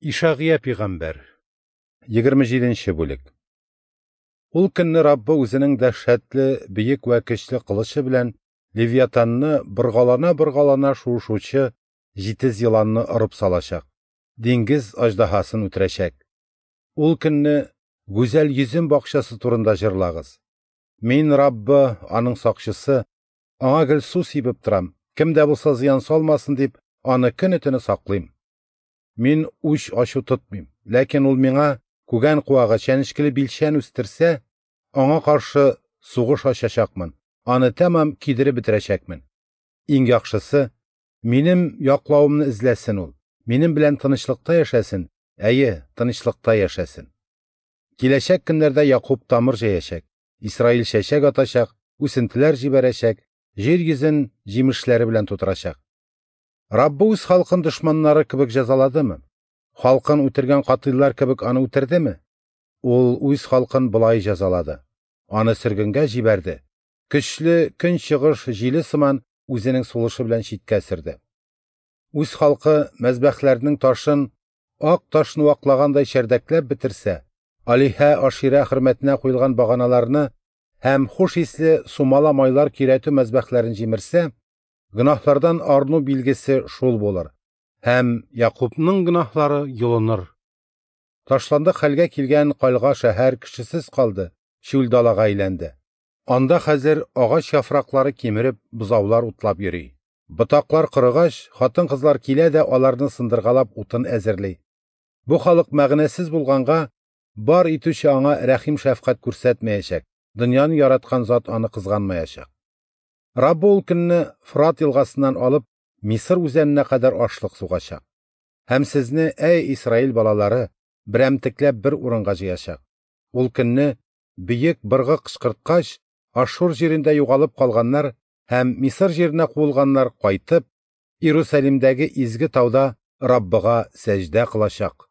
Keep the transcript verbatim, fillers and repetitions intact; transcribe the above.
Ишагыя пигамбәр, егерме җиденче бүлек. Ул көнне Раббы үзенең дәһшәтле, бөек вә көчле кылычы белән Левиатанны боргалана-боргалана шуышучы җитез еланны орып салачак, диңгез аждаһасын үтерәчәк. Ул көнне гүзәл йөзем бакчасы турында җырлагыз. Мин, Раббы, аның сакчысы, аңа гел су сибеп торам, кем дә булса зыян салмасын дип, аны көне-төне саклыйм. Мин үч ачу тотмыйм, ләкин ул миңа күгән куагы, чәнечкеле билчән үстерсә, аңа каршы сугыш ачачакмын, аны тәмам кидереп бетерәчәкмен. Иң яхшысы, минем яклавымны эзләсен ул, минем белән тынычлыкта яшәсен, әйе, тынычлыкта яшәсен. Киләчәк көннәрдә Якуб тамыр җәячәк, Исраил чәчәк атачак, үсентеләр җибәрәчәк, җир йөзен җимешләре белән тутырачак. Раббы үз халкын дошманнары кебек җәзаладымы? Халкын үтергән катыйлар кебек аны үтердеме? Ул үз халкын болай җәзалады. Аны сөргенгә җибәрде. Көчле көнчыгыш җиле сыман үзенең сулышы белән читкә сөрде. Үз халкы мәзбәхләрнең ташын ак ташны ваклагандай чәрдәкләп бетерсә, алиһә аширә хөрмәтенә куелган баганаларны һәм хуш исле сумала майлар көйрәтү мәзбәхләрен җимерсә, гөнаһлардан арыну билгесе шул булыр, һәм Якубның гөнаһлары юлыныр. Ташландык хәлгә килгән кальга шәһәр кешесез калды, чүл далага әйләнде. Анда хәзер агач яфраклары кимереп, бозаулар утлап йөри. Ботаклар корыгач, хатын-кызлар килә дә аларны сындыргалап утын әзерли. Бу халык мәгънәсез булганга, бар итүче аңа рәхим-шәфкать күрсәтмәячәк, дөньяны яраткан зат аны кызганмаячак. Раббы ул көнне Фрат елгасыннан алып Мисыр үзәненә кадәр ашлык сугачак. Һәм сезне, әй Исраил балалары, берәмтекләп бер урынга җыячак. Ул көнне бөек быргы кычкырткач, Ашур җирендә югалып калганнар һәм Мисыр җиренә куылганнар кайтып, Иерусалимдәге изге тауда Раббыга сәҗдә кылачак.